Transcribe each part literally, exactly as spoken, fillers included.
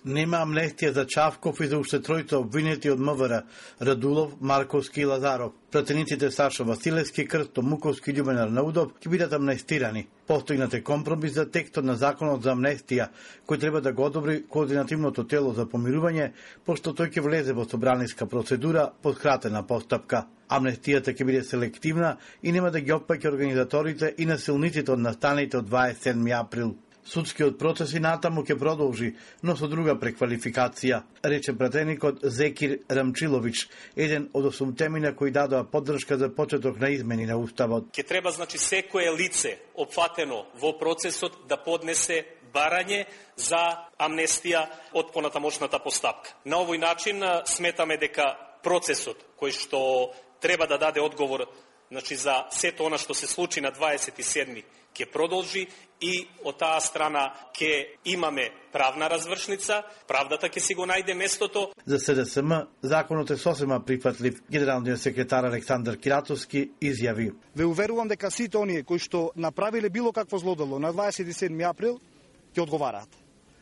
Нема амнестија за Чавков и за уште тројца обвинети од МВР, Радулов, Марковски и Лазаров. Пратениците Сашо Василевски, Крсто Муковски и Љубен Арнаудов ќе бидат амнестирани. Постигнат е компромис за текстот на законот за амнестија, кој треба да го одобри координативното тело за помирување, пошто тој ќе влезе во собраниска процедура по скратена постапка. Амнестијата ќе биде селективна и нема да ги опфаќа организаторите и насилниците од настаните од дваесет и седми април. Судскиот процес и натаму ќе продолжи, но со друга преквалификација, рече пратеникот Зекир Рамчилович, еден од осумтемина кои дадоа поддршка за почеток на измени на Уставот. Ќе треба, значи, секое лице опфатено во процесот да поднесе барање за амнестија од понатамошната постапка. На овој начин сметаме дека процесот кој што треба да даде одговор, значи, за сето она што се случи на дваесет и седми ќе продолжи и од таа страна ќе имаме правна развршница, правдата ќе си го најде местото. За СДСМ законот е сосема прифатлив. Генералниот секретар Александар Киратовски изјави: Ве уверувам дека сите оние кои што направиле било какво злодело на дваесет и седми април ќе одговараат.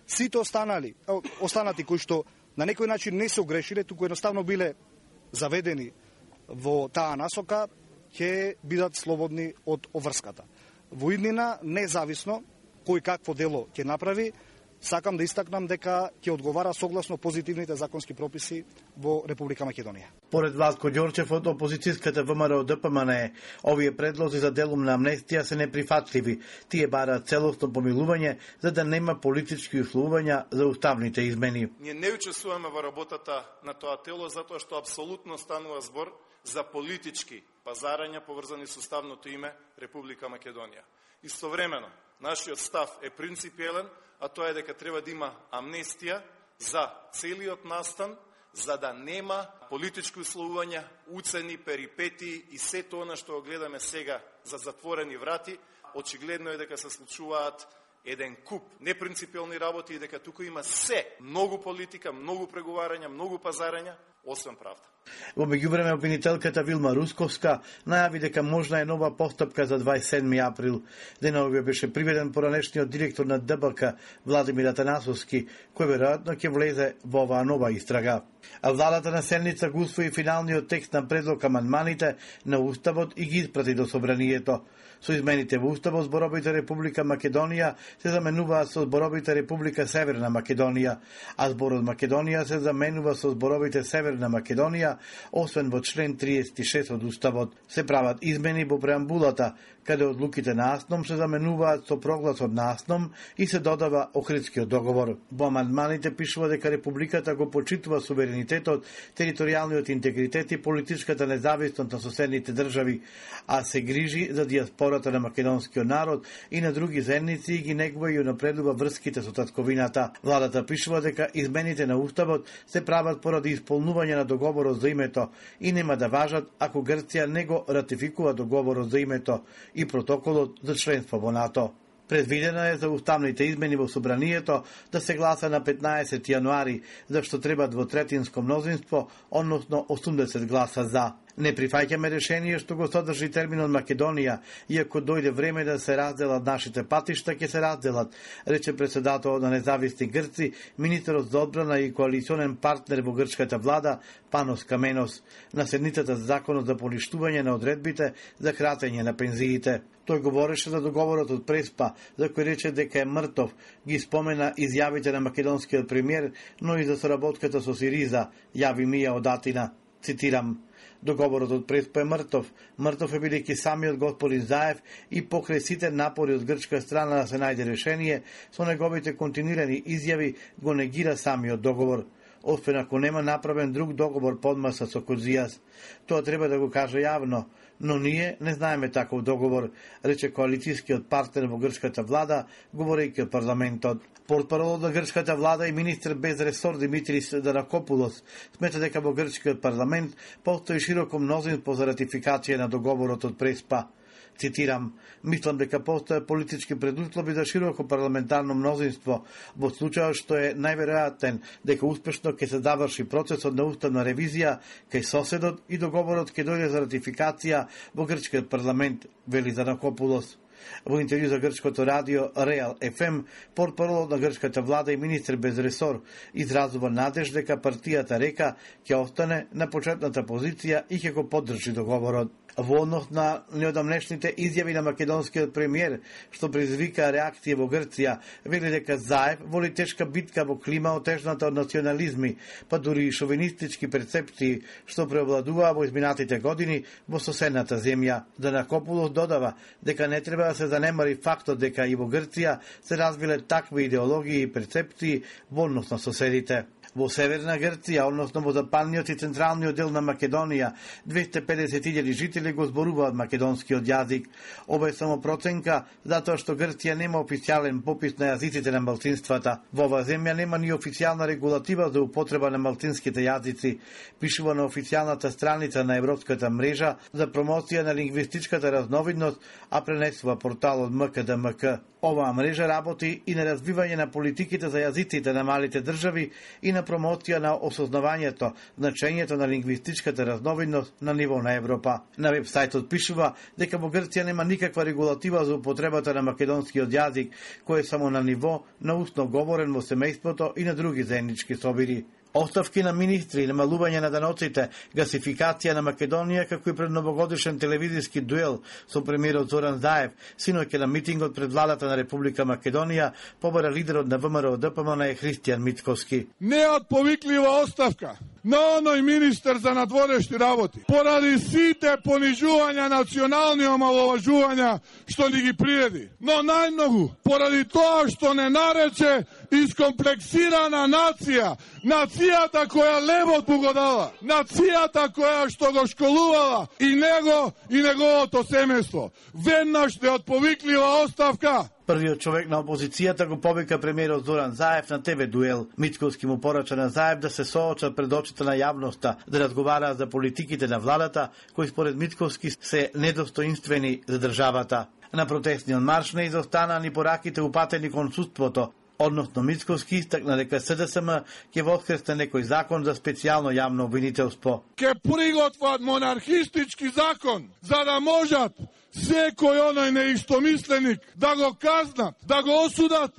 Сите останали, останати кои што на некој начин не се огрешиле, туку едноставно биле заведени во таа насока, ќе бидат слободни од обврската. Во иднина, независно кој какво дело ќе направи, сакам да истакнам дека ќе одговара согласно позитивните законски прописи во Република Македонија. Поред Владко Ѓорчев од опозицијската ВМРО ДПМНЕ, овие предлози за делумна амнестија се неприфатливи. Тие бараат целосно помилување за да нема политички условувања за уставните измени. Ние не учествуваме во работата на тоа тело затоа што апсолутно станува збор за политички пазарања поврзани со уставното име Република Македонија. Истовремено, нашиот став е принципиелен, а тоа е дека треба да има амнестија за целиот настан, за да нема политички условувања, уцени, перипети и сето она што го гледаме сега за затворени врати. Очигледно е дека се случуваат еден куп непринципиелни работи и дека тука има се многу политика, многу преговарања, многу пазарања, освен правда. Во меѓувреме обвинителката Вилма Русковска најави дека можна е нова постапка за дваесет и седми април. Деновиве беше приведен поранешниот директор на ДБК Владимир Атанасовски, кој веројатно ќе влезе во оваа нова истрага. А владата на седница го усвои финалниот текст на предлог амандманите на Уставот и ги испрати до собранието. Со измените во Уставот зборовите Република Македонија се заменуваат со зборовите Република Северна Македонија, а зборот Македонија се заменува со зборовите Северна Македонија, освен во член триесет и шест од Уставот. Се прават измени во преамбулата, каде одлуките на АСНОМ се заменуваат со прогласот на АСНОМ и се додава Охридскиот договор. Во амандманите пишува дека Републиката го почитува суверенитетот, територијалниот интегритет и политичката независност на соседните држави, а се грижи за диаспората на македонскиот народ и на други заедници и ги негува и унапредува врските со татковината. Владата пишува дека измените на Уставот се прават поради исполнување на договорот за името и нема да важат ако Грција не го ратификува договорот за името и протоколот за членство во НАТО. Предвидено е за уставните измени во собранието да се гласа на петнаесети јануари, зашто треба двотретинско мнозинство, односно осумдесет гласа за. Не прифаќаме решение што го содржи терминот Македонија, иако дојде време да се разделат нашите патишта, ќе се разделат, рече председателот на независни Грци, министерот за одбрана и коалиционен партнер во грчката влада Панос Каменос, на седницата за законот за поништување на одредбите за кратење на пензиите. Тој говореше за договорот од Преспа, за кој рече дека е мртов, ги спомена изјавите на македонскиот премиер, но и за соработката со Сириза, јави Мија од Атина. Цитирам: Договорот од Преспа е мртов. Мртов е бидејќи самиот господин Заев и покрај сите напори од грчка страна да се најде решение, со неговите континуирани изјави го негира самиот договор. Освен ако нема направен друг договор подмаса со Козијас. Тоа треба да го каже јавно, но ние не знаеме таков договор, рече коалицијскиот партнер во грчката влада, говорејќи од парламентот. Портпаролот на грчката влада и министр без ресор Димитрис Даракопулос смета дека во грчкиот парламент постои широко мнозинство за ратификација на договорот од Преспа. Цитирам: мислам дека постојат политички предуслови за широко парламентарно мнозинство во случајот што е најверојатен дека успешно ќе се заврши процесот на уставна ревизија кај соседот и договорот ќе дојде за ратификација во грчкиот парламент, вели Занакопулос. Во интервју за грчкото радио Реал еф ем, портпаролот на грчката влада и министер без ресор изразува надеж дека партијата Река ќе остане на почетната позиција и ќе го поддржи договорот. Во однос на неодамнешните изјави на македонскиот премиер, што предизвика реакција во Грција, вели дека Заев воли тешка битка во клима отежната од национализми, па дури и шовинистички перцепции, што преовладуваа во изминатите години во соседната земја. Данакопулос додава дека не треба да се занемари фактот дека и во Грција се развиле такви идеологии и перцепции во однос на соседите. Во северна Грција, односно во западниот и централниот дел на Македонија, двесте и педесет илјади жители го зборуваат македонскиот јазик. Ова е само проценка, затоа што Грција нема официјален попис на јазиците на малцинствата. Во оваа земја нема ни официјална регулатива за употреба на малцинските јазици, пишува на официјалната страница на Европската мрежа за промоција на лингвистичката разновидност, а пренесува порталот ем ка де ем ка. Оваа мрежа работи и на развивање на политиките за јазиците на малите држави и на промоција на осознавањето, значењето на лингвистичката разновидност на ниво на Европа. На вебсајтот пишува дека во Грција нема никаква регулатива за употребата на македонскиот јазик, кој е само на ниво на устно говорен во семејството и на други заеднички собири. Оставки на министри, намалување на даноците, гасификација на Македонија, како и пред новогодишен телевизиски дуел со премиерот Зоран Заев, синоќа на митингот пред владата на Република Македонија, побара лидерот на ВМРО Д П М Н е Христијан Мицковски. Неотповиклива оставка на оној министер за надворешни работи, поради сите понижувања, национални омаловажувања што ни ги приреди. Но најмногу, поради тоа што не нарече искомплексирана нација, нацијата која левот му го дала, нацијата која што го школувала и него и неговото семејство. Веднаш неотповиклива оставка. Првиот човек на опозицијата го повика премиерот Зоран Заев на Те Ве дуел. Мицковски му порача на Заев да се соочат пред очите на јавноста, да разговараат за политиките на владата, кои според Мицковски се недостоинствени за државата. На протестниот марш не изостанаа ни пораките упатени кон судството. Односно Мицковски истакна дека С Д С М ќе воскресне некој закон за специјално јавно обвинителство. Ке приготват монархистички закон за да можат секој оној неистомисленик да го казнат, да го осудат,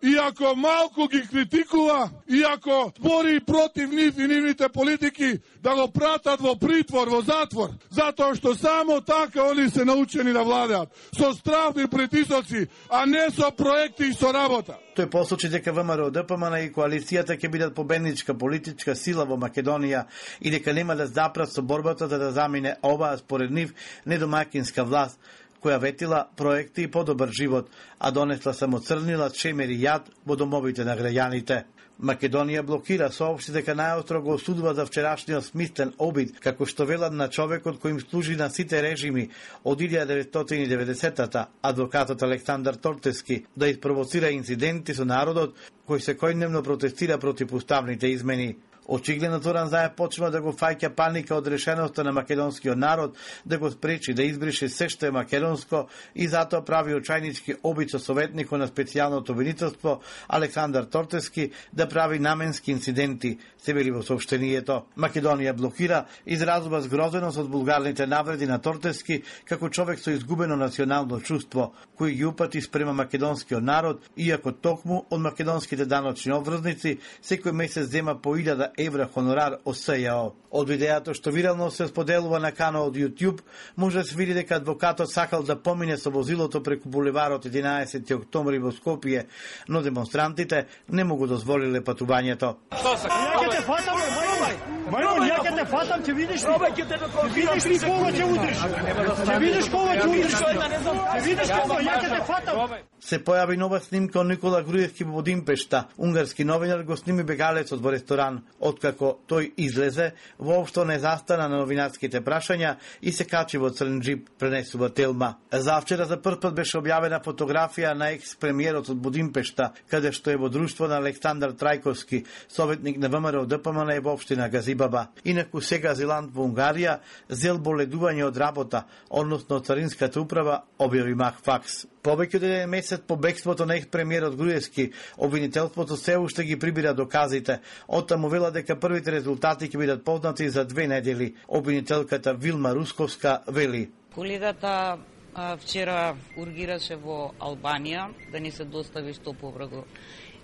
и ако малку ги критикува, и ако бори против нив и нивните политики, да го пратат во притвор, во затвор, затоа што само така они се научени да владеат, со стравни притисоци, а не со проекти и со работа. Тој посочи дека В М Р Д П М Н и коалицијата ќе бидат победничка политичка сила во Македонија и дека нема да запрат со борбата за да замине оваа според нив недомакинска власт, која ветила проекти и подобар живот, а донесла само црнила, чемер и јад во домовите на граѓаните. Македонија блокира, соопшти дека најостро го осудува за вчерашниот смислен обид, како што велат на човекот кој им служи на сите режими од илјада деветстотини и деветдесетата, адвокатот Александар Тортески, да испровоцира инциденти со народот кој секојдневно протестира против уставните измени. Очигледно Зоран Заев почнува да го фаќа паника од решеноста на македонскиот народ да го спречи да избрише се што е македонско и затоа прави очајнички обид со советникот на специјалното обвинителство Александар Тортески да прави наменски инциденти, се вели во соопштението. Македонија блокира, изразува згрозеност од булгарните навреди на Тортески како човек со изгубено национално чувство, кој ги упати спрема македонскиот народ, иако токму од македонските даночни обврзници секој месец зема по илјада евра хонорар од С Ј О. Од видеото што вирално се споделува на каналот YouTube, може да се види дека адвокатот сакал да помине со возилото преку булеварот единаесети октомври во Скопје, но демонстрантите не му го дозволиле патувањето. Што се? Ја ќе те фатам, Мајмон, ја ќе те фатам, ќе видиш ли? Ќе видиш ли кога ќе удриш? Ќе видиш кога ќе удриш? Ќе видиш кога, ја ќе те фатам. Се појави нова снимка од Никола Груевски во Будимпешта. Унгарски новинар го сними бегалецот во ресторан. Откако тој излезе, воопшто не застана на новинарските прашања и се качи во црн джип, пренесува Телма. Завчера за прв пат беше објавена фотографија на екс-премиерот од Будимпешта, каде што е во друштво на Александар Трајковски, советник на В М Р Д П М Н во општина Газибаба. Инаку сега Зеланд во Унгарија зел боледување од работа, односно од царинската управа, објави Мах Факс. Повеќе од еден месец по бегството на екс-премиерот Груевски, обвинителството се уште ги прибира доказите. Оттаму вела дека првите резултати ќе бидат познати за две недели. Обвинителката Вилма Русковска вели: Колидата вчера ургираше во Албанија да ни се достави што побрзо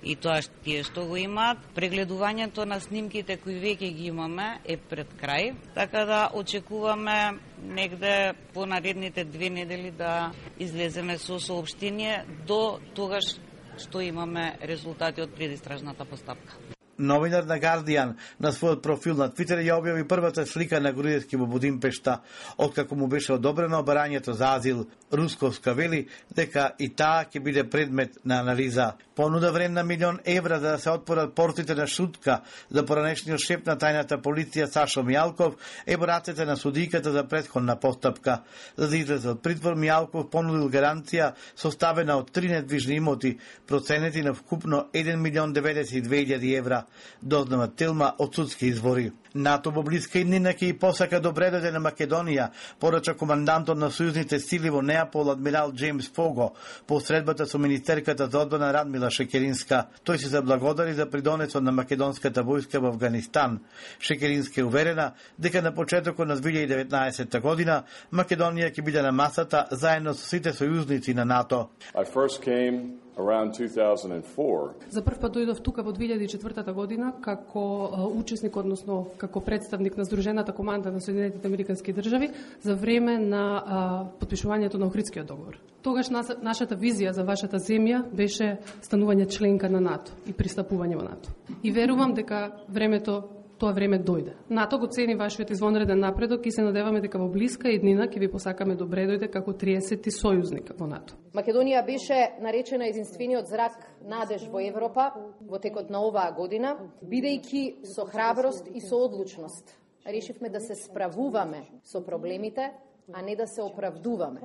и тоа тие што го имаат. Прегледувањето на снимките кои веќе ги имаме е пред крај, така да очекуваме негде по наредните две недели да излеземе со соопштение до тогаш што имаме резултати од предистражната постапка. Новинар на Guardian на својот профил на Твитер ја објави првата слика на Груевски во Будимпешта, откако му беше одобрено барањето за азил. Русковска вели дека и таа ќе биде предмет на анализа. Понуда вредна милион евра за да се отворат портите на Шутка за поранешниот шеф на тајната полиција Сашо Мијалков е во рацете на судиката за претходна постапка. За да излезе од притвор, Мијалков понудил гаранција составена од три недвижни имоти, проценети на вкупно еден милион деветдесет и две илјади евра. Дознава Телма од судски извори. НАТО во блиска иднина ќе и посака добре дојде на Македонија, порача командантот на сојузните сили во Неапол адмирал Джеймс Фого по средбата со министерката за одбрана Радмила Шекеринска. Тој се заблагодари за придонесот на македонската војска во Афганистан. Шекеринска е уверена дека на почетокот на две илјади и деветнаесетта година Македонија ќе биде на масата заедно со сите сојузници на НАТО. I first came around two thousand four. За прв пат дојдов тука во две илјади и четвртата година како учесник, односно како представник на Сдружената команда на Соединетите Американски држави за време на а, подпишувањето на Охридскиот договор. Тогаш нас, нашата визија за вашата земја беше станување членка на НАТО и пристапување во НАТО. И верувам дека времето тоа време дојде. НАТО го цени вашиот извонреден напредок и се надеваме дека во блиска иднина ќе ви посакаме добре дојде како триесети сојузник во НАТО. Македонија беше наречена единствениот зрак надеж во Европа во текот на оваа година, бидејќи со храброст и со одлучност решивме да се справуваме со проблемите, а не да се оправдуваме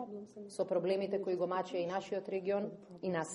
со проблемите кои го мачеа и нашиот регион и нас.